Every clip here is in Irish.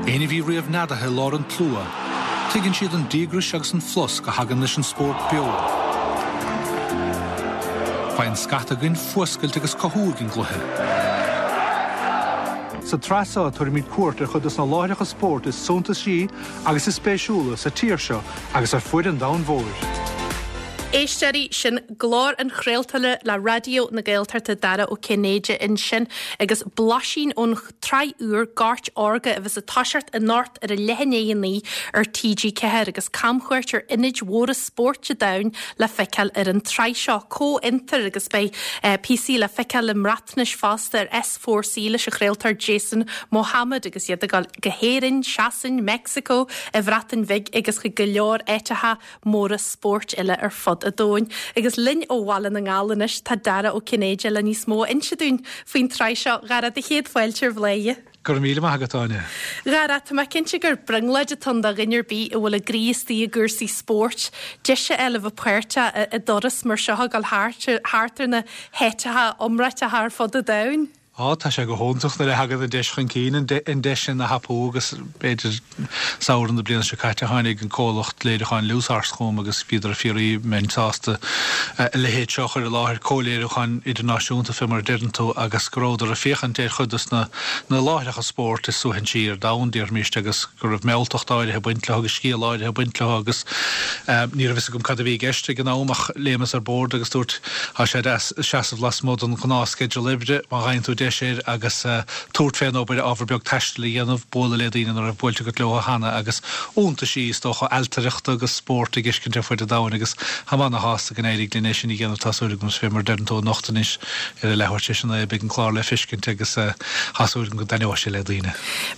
Éinne a bhí riamh neadaithe i lár an tslua, tuigeann siad an díograis agus an flosc a thagann leis an spórt beo. Faigheann scata againn fuascailt agus cothú ag an gcluiche. Sa tsraith seo tabharfaimid cuairt ar chuid de na láithreacha spóirt is suntasaí agus is spéisiúla sa tír seo agus ar fuaid an domhain mhóir. Éisteoirí, sin glór an chraoltóra le Raidió na Gaeltachta, Dara Ó Cinnéide ansin agus blaisín ón tsraith úr Goirt Órga a bheas ag toiseacht anocht ar a leath i ndiaidh 9 ar TG4 agus camchuairt ar ionaid mhóra spóirt an domhain le feiceáil ar an tsraith seo. Comhfhiontar agus beidh píosaí le feiceáil i mBreatnais fosta ar S4C leis an chraoltóir Jason Mohammad agus iad ag dul go hÉirinn, Sasain, Meicsiceo, an Bhreatain Bhig agus chuig go leor áiteacha móra spóirt eile ar fud an domhain. Agus linn ó Bhaile na nGall anois tá Dara Ó Cinnéide le níos mó a inse dúinn faoin tsraith seo. Dhara, do chéad fáilte ar Bhladhaire. Go raibh míle maith agat, Áine. Dhara, tá mé cinnte gur brionglóid atá ann do dhuine ar bith a bhfuil a gcroí istigh i gcúrsaí spóirt, deis a fháil a bheith páirteach i dturas mar seo ag dul thart ar na háiteacha iomráiteacha ar fud an domhain. Á, tá sé go hiontach nuair a thagann an deis chun cinn, an deis sin a thapú agus b'fhéidir samhradh na bliana seo caite tháinig an comhlacht léiriúcháin Loose chugam agus bhíodar ag fiafraí an mbeinn sásta a leithéid seo a chur i láthair, comhléiriúchán idirnáisiúnta fé mar a deireann tú agus go rabhadar ag féachaint ar chuid dos na láithreacha spóirt is suaithinsí ar domhan, déarfaimis, agus go raibh mealltacht áirithe ag baint leo agus scéal áirithe ag baint leo agus ní raibh fhios agam cad a bhí i gceist ag an am ach léimeas ar bord agus dúirt Tá sé deas seasamh lasmuigh den ghnáthsceideal oibre má fhaigheann tú deis air agus tabhairt fén obair, ábhar beag taistil a dhéanamh, bualadh le daoine nach raibh buailte agat leo cheana agus iontaisí, is dócha, ailtireachta agus spóirt a dh'fheiscint ar fuid an domhain agus táim ana-shásta go n-éirigh linn é sin a dhéanamh, tá súil agam, fé mar a deireann tú anocht anois ar a leathuair tar éis a naoi beidh an clár le feiscint agus tá súil agam go dtaitneoidh sé le daoine.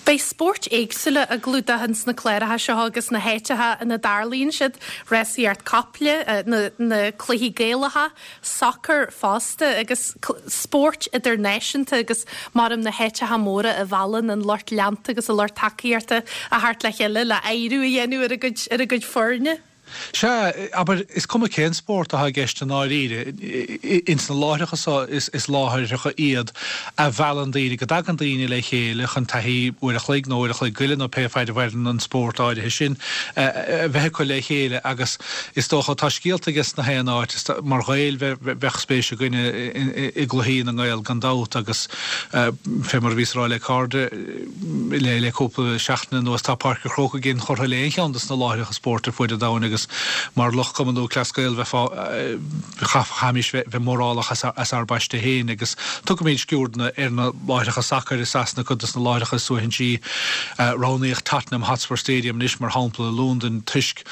Beidh spóirt éagsúla á gclúdach ins na cláracha seo agus na háiteacha ina dtarlaíonn siad. Rásaíocht caiple, na cluichí Gaelacha, sacar fosta agus spóirt idirnáisiúnta agus maram na háiteacha móra a mheallann an lucht leanta agus an lucht tacaíochta a theacht le chéile le adhradh a dhéanamh ar a gcuid ar a gcuid foirne. Sea, abair, is cuma cén spórt atá i gceist i ndáiríre, ins na láithreacha so is láithreacha iad a mheallann daoine, go dtagann daoine le chéile chun taithí uair a chloig nó uair a chloig go leith nó pé faid a mhaireann an spórt áirithe sin a bheith acu le chéile agus is dócha tá scéalta aige sna haon áit. Mar Ghaeil bheadh spéis againne i gcluichí na nGael gan dabht agus fé mar a bhíos a rá le cairde le cúpla seachtain anuas tá Páirc an Chrócaigh inchurtha le aon cheann de na láithreacha spóirt ar fuaid an domhain agus mar lucht Cumann Lúthchleas Gael bheifeá Chaithfimis bheith mórálach as ár bpaiste féin agus tugaimid sciuirdeanna ar na láithreacha sacair i Sasana, cuid de na láithreacha is suaithinsí. Roghnaíodh Tottenham Hotspur Stadium anois mar shampla i Londain toisc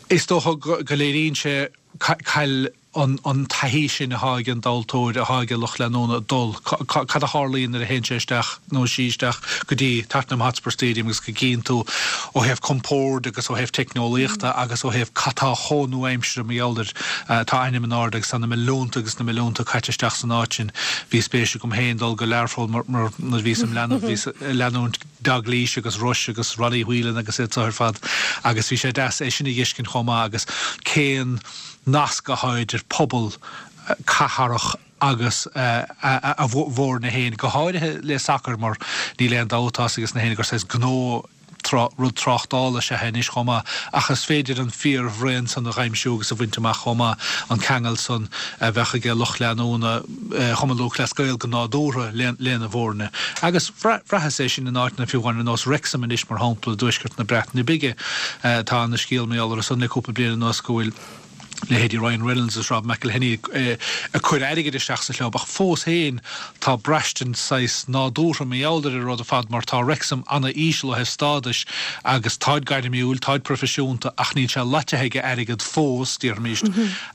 is dócha go léiríonn sé caill an taithí sin atá ag an dtomhaltóir, atá ag an lucht leanúna dul, cad a tharlaíonn nuair a théann sé isteach nó sí isteach go dtí Tottenham Hotspur Stadium agus go gcíonn tú ó thaobh compoird agus ó thaobh teicneolaíochta agus ó thaobh cad tá chomh nua-aimseartha mar gheall air. Tá a ainm in airde agus tá na milliúnta agus na milliúnta caite isteach san áit sin. Bhí spéis agam féin dul go Learpholl mar nuair a bhíos im leanbh bhíos ag leanúint Dalglish agus Rush agus Ronnie Whelan agus iad so ar fad agus bhí sé deas é sin a dh'fheiscint chomh maith agus cén nasc atá idir pobal cathrach agus a bhfoirne féin, go háirithe le sacar mar níl aon dabht tá a fhios ages na héinne gur saghas gnó, rud tráchtála is ea é anois chomh maith ach is féidir an fíor-bhraon san a dh'aimsiú agus a bhaint amach chomh maith, an ceangal san a bheadh aige lucht leanúna Chumann Lúthchleas Gael go nádúrtha lena bhfoirne. Agus bhraitheas é sin in áiteanna fiú amháin ar nós Wrexham anois mar shampla i dtuaisceart na Breataine Bige. Tá ana-scéal mar gheall orthu san le cúpla bliain anuas go bhfuil leithéidí Ryan Reynolds is Rob McElhenney ag cur airgid isteach sa chlub ach fós féin tá braistint saghas nádúrtha mar gheall ar an rud ar fad mar tá Wrexham ana-íseal ó thaobh stádais agus táid gairmiúil, táid proifisiúnta ach níl sé loitithe ag airgead fós, déarfaimis,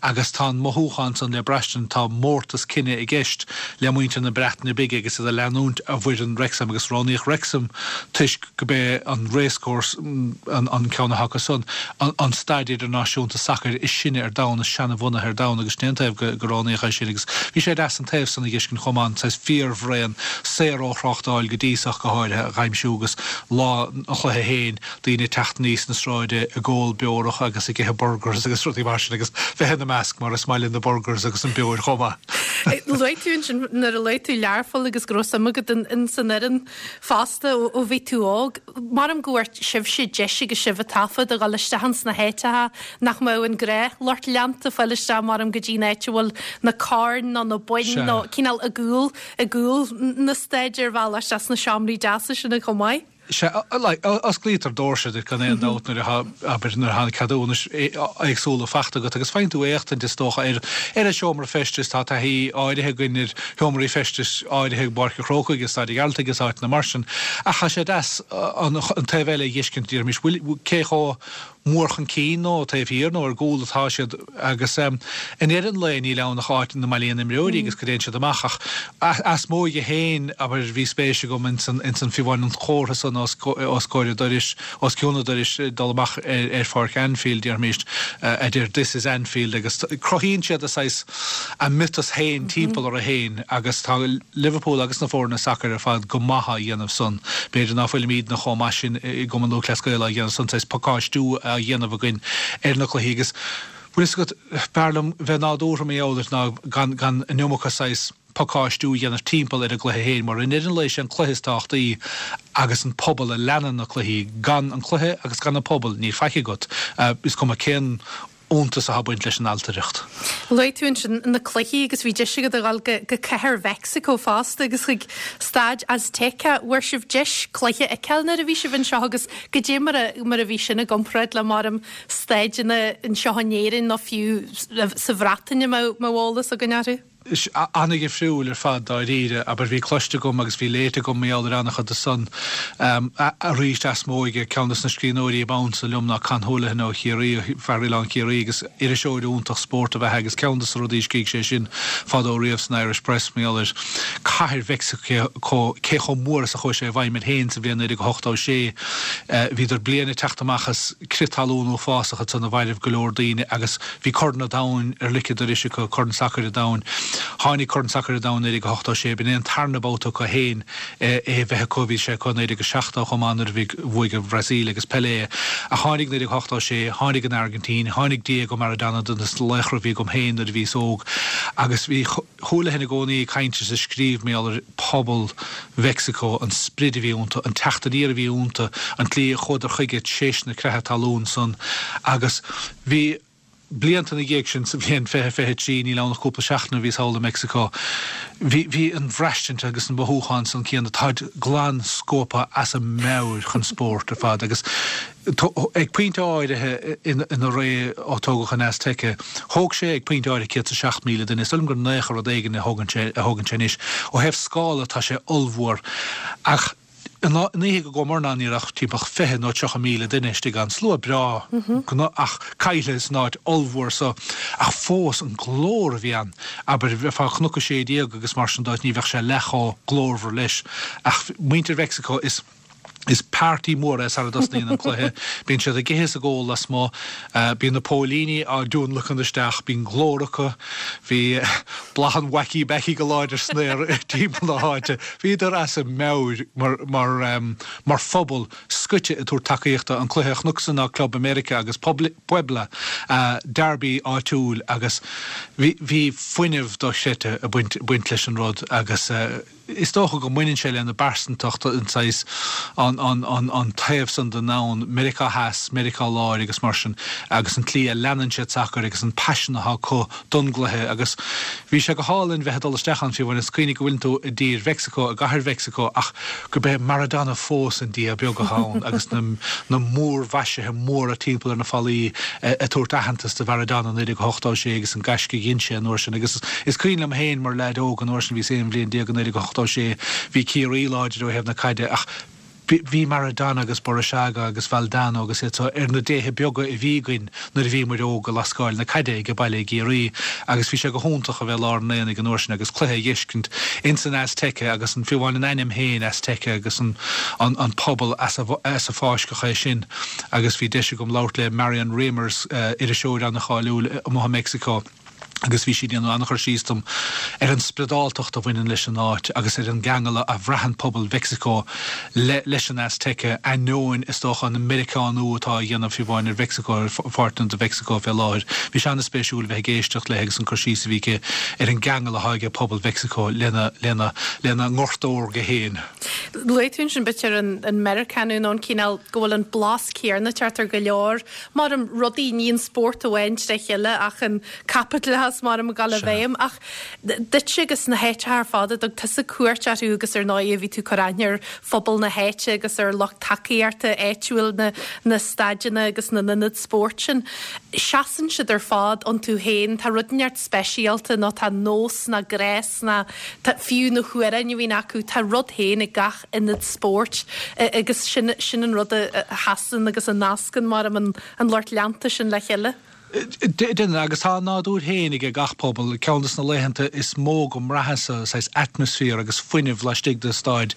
agus tá an mothúchán san le braistint, tá mórtas cine i gceist le muintir na Breataine Bige agus iad ag leanúint a bhfoireann Wrexham agus roghnaíodh Wrexham toisc gurb é an Racecourse, an ceann atá acu san, an staid idirnáisiúnta sacair is sine ar. ar domhan, is seanabhunaithe ar domhan agus sin é an taobh go roghnaíodh é sin agus bhí sé deas an taobh san a dh'fheiscint chomh maith, an saghas fíorbhraon, saor ó thráchtáil go dtí so ach go háirithe, a dh'aimsiú agus lá an chluiche féin, daoine ag teacht aníos na sráide ag ól beorach agus ag ithe burgers agus rudaí mar sin agus bheith ina measc mar is maith linn na burgers agus an beoir chomh maith. Luaigh tú ansin nuair a luaigh tú Learpholl agus go raibh suim agat in san fhoireann fosta ó bhí tú óg. Maram go bhfuair sibhse deis agus sibh ag taifead a dhul isteach ins na háiteacha nach mbeadh an gnáthlucht leanta fáil isteach maram go dtí an áit a bhfuil na coirn nó na boinn nó cineál i gcúl i gcúl na staid ar bhealach isteach sna seomraí deasa sin chomh maith. Sea, like, osclaítear doirse duit gan aon dabht nuair atá, abair, nuair atá na ceadúnais éagsúla faighte agat agus faigheann tú éachtaint, is dócha, ar, ar an seomra feistis. Tá taithí áirithe againn ar sheomraí feistis áirithe i bPáirc an Chrócaigh, i Staid an Ghearaltaigh agus áiteanna mar sin. Ach tá sé deas an, an taobh eile a dh'fheiscint, déarfaimis, bhfuil, cé chomh mór chun cinn nó taobh thiar nó ar gcúl atá siad agus i ndeireadh an lae níl ann ach áit ina mbailíonn imreoirí agus go dtéann siad amach ach as m'óige féin abair bhí spéis agam ins an ins an fiú amháin an chomhartha san os os comhair an dorais os cionn an dorais dul amach ar ar pháirc Anfield déarfaimis a deir This is Anfield agus cruthaíonn siad a saghas a miotas féin timpeall orthu féin agus tá Liverpool agus na foirne sacair ar fad go maith á dhéanamh san. B'fhéidir ná fuilimídne chomh maith sin i gCumann Lúthchleas Gael á dhéanamh san, saghas pacáistiú á dhéanamh againn ar na cluichí agus bhfuil fhios agat, b'fhearr liom bheith nádúrtha mar gheall air ná gan gan an iomarca saghas pacáistiú a dhéanamh timpeall ar an gcluiche féin mar i ndeireadh an lae sé an cluiche is tábhachtaí agus an pobal a leanann na cluichí. Gan an cluiche agus gan an pobal níl faic agat. Is cuma cén fhiúntas atá ag baint leis an ailtireacht. Luaigh tú ansin na cluichí agus bhí deis agat a dhul go cathair Mheicsiceo fosta agus chuig Staid Azteca. Bhfuair sibh deis cluiche a fheiceáil nuair a bhí sibh anseo agus goidé mar a mar a bhí sin i gcomparáid le maram staideanna anseo in Éirinn nó fiú sa Bhreatain a mbeadh eolas againn orthu? An-dhifriúil ar fad dáiríre, abair bhí cloiste agam agus bhí léite agam mar gheall ar an-chuid de san. Arís as m'óige, ceann des na scríbhneoirí ab ansa liom ná Con Houlihan ó Chiarraí, fear Oileán Chiarraí agus iriseoir iontach spóirt ab ea é agus ceann des na rudaí a scrígh sé sin fadó riamh san Irish Press mar gheall ar cathair Mheicsiceo, cé chomh mór is a chuaigh sé i bhfeidhm air féin sa bhliain 1986. Bhíodar bliain ag teacht amach as crith talún uafásach ansan a mhairbh go leor daoine agus Bhí Corn an Domhain ar lic an dorais acu, Corn Sacair an Domhain. Tháinig Corn Sacair an Domhain 1986, b'in é an tarna babhta acu féin é a bheith acu, bhí sé acu i 1970 chomh maith nuair a bhí, bhuaigh an Bhrasaíl agus Pelé. Ach tháinig 1986, tháinig an Airgintín, tháinig Diego Maradona duine des na laochra a bhí agam féin nuair a bhíos óg agus bhí Houlihan i gcónaí ag caint is ag scríobh mar gheall ar phobal Mheicsiceo, an sprid a bhí iontu, an teacht aniar a bhí iontu, an tslí a chuadar chuige tar éis na creatha talún san agus bhí blianta ina dhiaidh sin, sa bhliain 2023, níl ann ach cúpla seachtain ó bhíos thall i Meicsiceo, bhí, bhí an bhraistint agus an mothúchán san céanna, táid glan scuabtha as a meabhair chun spóirt ar fad agus ag pointe áirithe ina ré ó tógadh an Azteca, thóg sé ag pointe áirithe 107,000 duine, is dóigh liom gur naocha rud éigin a thógann sé, a thógann sé anois. Ó thaobh scála tá sé ollmhór ach. An oíche go gcuamar ann ní raibh ach timpeall 20 nó 30,000 duine istigh ann. Slua breá ach caillte san áit ollmhór so. Ach fós, an glór a bhí ann. Abair, bheifeá ag Cnoc 16 agus mar sin de, ní bheadh sé leath chomh glórmhar leis. Ach muintir Mheicsiceo, is is party mór é sara dtosnaíonn an cluiche. Bíonn siad ag ithe is ag ól lasmuigh. Bíonn na póilíní á dtionlacan isteach. Bíonn glór acu. Bhí boladh an wacky backy go láidir san aer timpeall na háite. Bhíodar as a meabhair mar mar mar phobal scoite ag tabhairt tacaíochta. An cluiche a chonacsa ná Club America agus Puebla, derby áitiúil agus bhí bhí fuinneamh dochreidte ag baint baint leis an rud agus Is dócha go mbaineann sé lena bpearsantacht, an saghas, an, an, an, an taobh san den domhan, Meiriceá Theas, Meiriceá Láir agus mar sin, agus an tslí a leanann siad sacar agus an paisean atá acu don gcluiche agus bhí sé go hálainn bheith ag dul isteach ann fiú amháin is cuimhnigh go bhfuileann tú i dtír Mheicsiceo, i gcathair Mheicsiceo ach gurb é Maradona fós an dia beag atá ann agus na, na múrmhaisithe móra timpeall ar na fallaí ag tabhairt aitheantas do Mharadona 1986 agus an gaisce a dhein sé an uair sin agus is cuimhin liom féin mar leaid óg an uair sin, bhíos 11 bhliain i 1986, bhí Ciarraí láidir ó thaobh na caide ach. Bhí Maradona agus Burruchaga agus Valdano agus iad so ar na déithe beaga a bhí againn nuair a bhí muid óg ag lascáil na caide age baile i gCiarraí agus bhí sé go hiontach a bheith i lár an aonaigh an uair sin agus cluiche a dh'fheiscint ins an Azteca agus an fiú amháin an ainm féin Azteca agus an an pobal as a as a fáisceadh é sin agus bhí deis agam labhairt le Marion Ramers, iriseoir an-cháiliúil amuigh i Meicsiceo. agus bhí sí ag déanamh an-chur síos dom ar an spioradáltacht a bhaineann leis an áit agus ar an gceangal a bhraitheann pobal Mheicsiceo le leis an Azteca, ainneoin, is dócha, an Meiriceánú atá á dhéanamh fiú amháin ar Mheicsiceo, ar pháirteanna de Mheicsiceo fé láthair. Bhí sé an-spéisiúil a bheith ag éisteacht léi agus an cur síos a bhí aici ar an gceangal atá ag pobal Mheicsiceo lena lena lena ngort órga féin. Luaigh tú ansin b'fhéidir an an Meiriceánú nó an cineál go bhfuil an blas céanna ag teacht ar go leor mar rudaí, ní an spórt amháin tré chéile ach an caipitleachas mar ag dul i bhfeidhm. Ach duitse agus na háiteacha ar fad a dtug tusa cuairt orthu agus ar ndóigh bhí tú ag cur aithne ar phobal na háite agus ar lucht tacaíochta áitiúil na na staideanna agus na n-ionad spóirt sin, seasann siad ar fad iontu féin, tá rud inteacht speisialta nó tá nós ná gnás ná tá fiú na hamhráin a bhíonn acu, tá rud féin ag gach ionad spóirt agus sin sin an rud a sheasann agus a nascann mar an an lucht leanta sin le chéile. Déanann, agus tá a nádúr féin aige gach pobal. Ceann de na laethanta is mó go mbraitheas-sa saghas atmaisféar agus fuinneamh laistigh de staid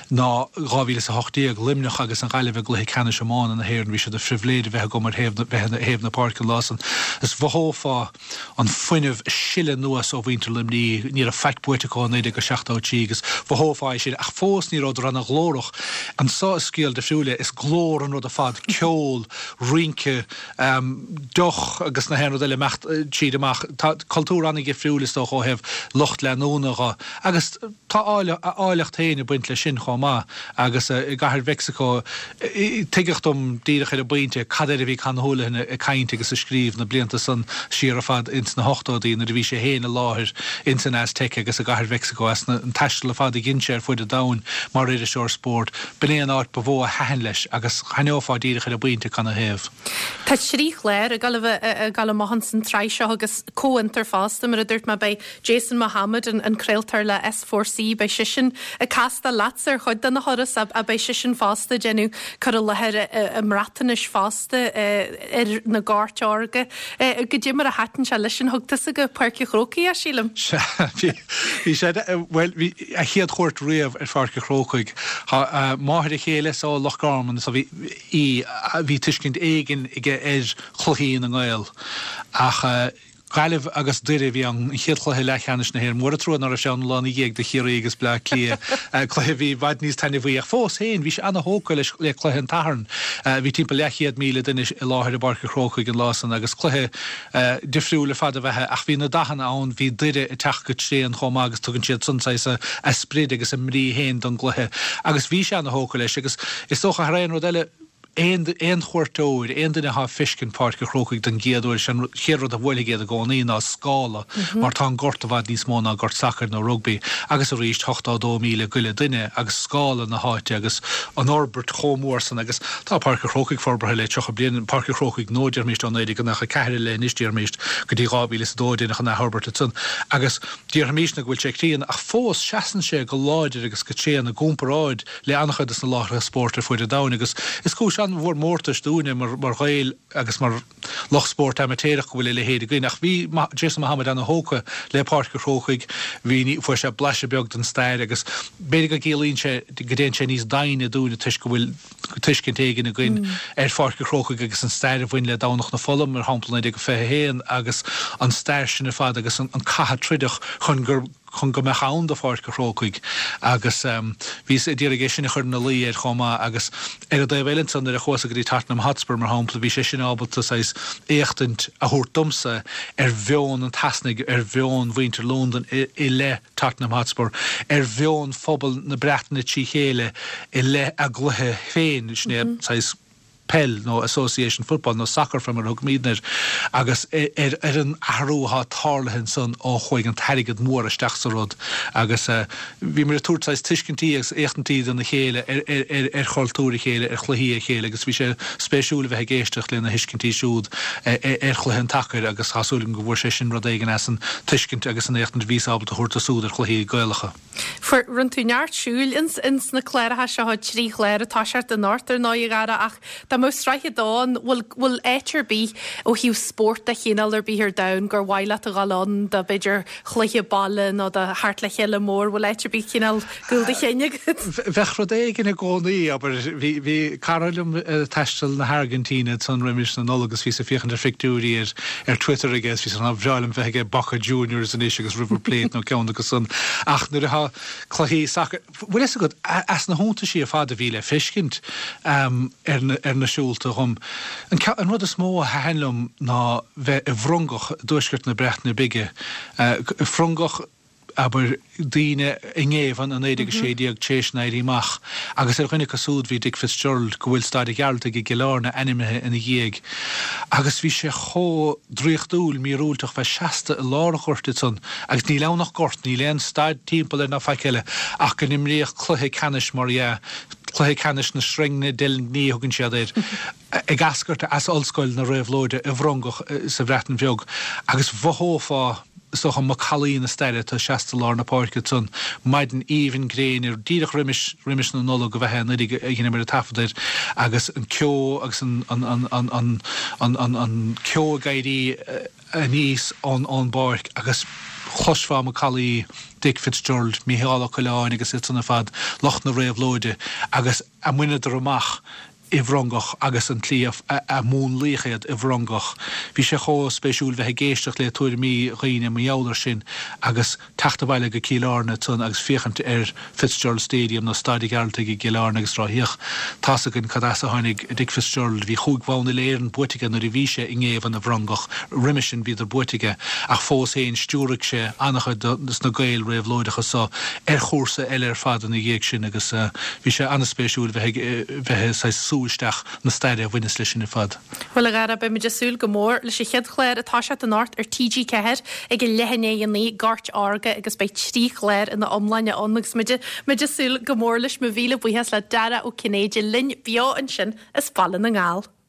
ná 2018, Luimneach agus an Ghaillimh i gcluiche ceannais iomána na hÉireann. Bhí sé de phribhléid a bheith agam ar thaobh na bheith ar thaobh na páirce an lá san. Is mhothófá an fuinneamh ag sileadh anuas ó mhuintir Luimnigh, ní raibh faic buaite acu ó 1973 agus mhothófá é sin, ach fós ní rabhadar ana-ghlórach. Anso is scéal difriúil é, is glór an rud ar fad, ceol, rince, deoch agus na haon rud eile imeacht tríd amach. Tá cultúr ana-dhifriúil is dócha ó thaobh lucht leanúna dho agus tá a áilleacht féin ag baint leis sin chomh maith agus i gCathair Mheicsiceo tuigeadh dom díreach ar an bpointe cad air a bhí Con Houlihan ag caint agus ag scríobh na blianta san siar ar fad ins na hochtóidí nuair a bhí sé féin i láthair ins an Azteca agus i gCathair Mheicsiceo as an taisteal ar fad a dhein sé ar fuid an domhain mar iriseoir spóirt. B'in é an áit ba mhó a thaitin leis agus D'aithneofá díreach ar an bpointe canathaobh. Tá 3 chlár ag dul a bheith ag dul amach ins an tsraith seo agus comhfhiontar fosta, mar a dúirt mé, beidh Jason Mohammad, an craoltóir le S4C, beidh seisean ag castáil leatsa ar chuid de na thurais ach beidh seisean fosta ag déanamh cur i láthair i mBreatnais fosta ar na goirt órga. Goidé mar a thaitin sé leisean, thug tusa go Páirc an Chrócaigh é, sílim? Sea, bhí sé, bhuel, bhí a chéad chuairt riamh ar Pháirc an Chrócaigh. Tá máthair a chéile is ó Loch Garman so bhí í, bhí tuiscint éigin aige ar chluichí na nGael. Ach Gaillimh agus Doire a bhí ann, an chéad chluiche leathcheannais na hÉireann. Mór an trua ná raibh sé ann an lá ina dhiaidh do Chiarraí agus Bleá Cliath, cluiche a bhí i bhfad níos taitneamhaí. Ach fós féin, bhí sé ana-thógtha leis le cluiche an tSathairn. Bhí timpeall leathchéad 1,000 duine i láthair i bPáirc an Chrócaigh an lá san agus cluiche difriúil ar fad ab ea é ach bhí na dathanna ann, bhí Doire ag teacht go tréan chomh maith agus tugann siad san saghas a sprid agus a mbrí féin don gcluiche agus bhí sé ana-thógtha leis agus is dócha thar aon rud eile aon aon chuairteoir, aon duine atá ag feiscint Páirc an Chrócaigh don gcéad uair, is é an chéad rud a bhuailfidh iad i gcónaí ná scála mar tá an gort i bhfad níos mó ná gort sacair nó rugbaí agus arís 82,000 go leith duine agus scála na háite agus an fhorbairt chomh mór san agus Tá Páirc an Chrócaigh forbartha le 30 bliain, Páirc an Chrócaigh nua, déarfaimíst, ó 1994 i leith anois, déarfaimíst, go dtí 2002 deineadh an athfhorbairt ansan agus déarfaimísne go bhfuil sé críonna ach fós seasann sé go láidir agus go tréan i gcomparáid le an-chuid des na láithreacha spóirt ar fuaid an domhain agus is cúis an-mhór mórtais dúinne mar Ghaeil agus mar lucht spóirt amaitéarach go bhfuil a leithéid againn. Ach bhí Jason Mohammad ana-thógtha le Páirc an Chrócaigh, bhí, fuair sé blaiseadh beag den stair agus b'fhéidir go gciallaíonn sé, go dtéann sé níos doimhne dúinne toisc go bhfuil tuiscint éigin againn ar Pháirc an Chrócaigh agus an stair a bhain le Domhnach na Fola, mar shampla, 1921 agus an stair sin ar fad agus an cath a troideadh chun gur chun go mbeadh ann do Pháirc an Chrócaigh agus bhíos ag iarraidh é sin a chur ina luí air chomh maith agus ar an dtaobh eile ansan nuair a chuas go dtí Tottenham Hotspur mar shampla bhí sé sin ábalta saghas éachtaint a thabhairt domsa ar mheon an tSasanaigh, ar mheon mhuintir Londain i leith Tottenham Hotspur, ar mheon phobal na Breataine trí chéile i leith a gcluiche féin, sin é saghas. Peil nó Association Football nó Soccer fé mar a thugaimidne air agus ar an athrú atá tarlaithe ansan ó chuaigh an t-airgead mór isteach sa rud agus bhíomar ag tabhairt saghas tuiscintí agus éachtaintí dona chéile ar chultúr a chéile, ar chluichí a chéile agus bhí sé spéisiúil a bheith ag éisteacht lena thuiscintí siúd ar chluiche an tsacair agus tá súil agam go bhfuair sé sin rud éigin as an tuiscint agus an éachtaint a bhíos ábalta a thabhairt dó siúd ar chluichí Gaelacha. Fuair, rinne tú neart siúil ins, ins na cláracha seo, trí chlár ag toiseacht anocht ar ndóigh a Dhara ach dá mbeadh sraith a dó ann, bhfuil, bhfuil áit ar bith ó thaobh spórt de chineál ar bith ar domhan gur mhaith leat a dhul ann do b'fhéidir chluiche baile nó do theacht le chéile mór, bhfuil áit ar bith cineál gcúl do chinn agat? Bheadh rud éigin i gcónaí, abair, bhí, bhí cara liom ag taisteal na hAirgintíne ansan roimis na Nollag agus bhíos ag féachaint ar phictiúirí ar, ar Twitter aige agus bhí sé, ba bhreá liom bheith ag Boca Juniors anois agus River Plate nó ceann acu san ach nuair atá cluichí sacair, bhfuil fhios agat, as na hiontaisí ar fad a bhí le feiscint ar na, ar na siúlta dhom, an ceann, an rud is mó a thaitin liom ná bheith i bhFrongoch i dtuaisceart na Breataine Bige, Frongoch, abair, daoine i ngéibheann i 1916 tar éis an Éirí Amach, agus ar dhuine acu súd bhí Dick Fitzgerald, go bhfuil Staid an Ghearaltaigh i gCill Airne ainmnithe ina dhiaidh. Agus bhí sé chomh draíochtúil, míorúilteach bheith seasta i lár an ghoirt ansan, agus níl ann ach gort, níl aon staid timpeall air ná faic eile, ach go n-imríodh cluiche ceannais, mar dhea, cluiche ceannais na sreinge deilgní a thugann siad air, ag eascairt as Ollscoil na Réabhlóide i bhFrongoch sa Bhreatain Bheag, agus mhothófá, is dócha, macallaí na staire atá seasta i lár na páirce ansan, maidin aoibhinn gréine, díreach roimis, roimis na Nollag ab ea é anuraidh a dheineamar an taifead air, agus an ceo agus an, an, an, an, an, an, an, an ceo ag éirí aníos ón, ón bpáirc agus chloisfeá macallaí Dick Fitzgerald, Mícheál Ó Coileáin agus iad san ar fad, lucht na réabhlóide, agus a mbaineadar amach i bhFrongoch agus an tslí a múnlaíodh iad i bhFrongoch. Bhí sé chomh spéisiúil bheith ag éisteacht le tuairimí dhaoine mar gheall air sin agus teacht abhaile go Cill Airne ansan agus féachaint ar Fitzgerald Stadium nó Staid an Ghearaltaigh i gCill Airne agus rá féach, tá's againn cad as a tháinig Dick Fitzgerald. Bhí chúig bhonn uile-Éireann buaite aige nuair a bhí sé i ngéibheann i bhFrongoch. Roimhe sin bhíodar buaite aige ach fós féin stiúraigh sé an-chuid de na Gaeil réabhlóideacha so ar chúrsa eile ar fad ina dhiaidh sin agus bhí sé an-spéisiúil bheith ag bheith ag saghas sú isteach na staire a bhaineas leis sin ar fad. Bhuel, a Dhara, beimid ag súil go mór leis an chéad chlár ag toiseacht anocht ar TG4 ag a leath i ndiaidh 9, Gort Órga, agus beidh trí chlár ina iomláine ann agus muid muid ag súil go mór leis. Mo mhíle buíochas le Dara Ó Cinnéide linn beo ansin as Baile na nGall.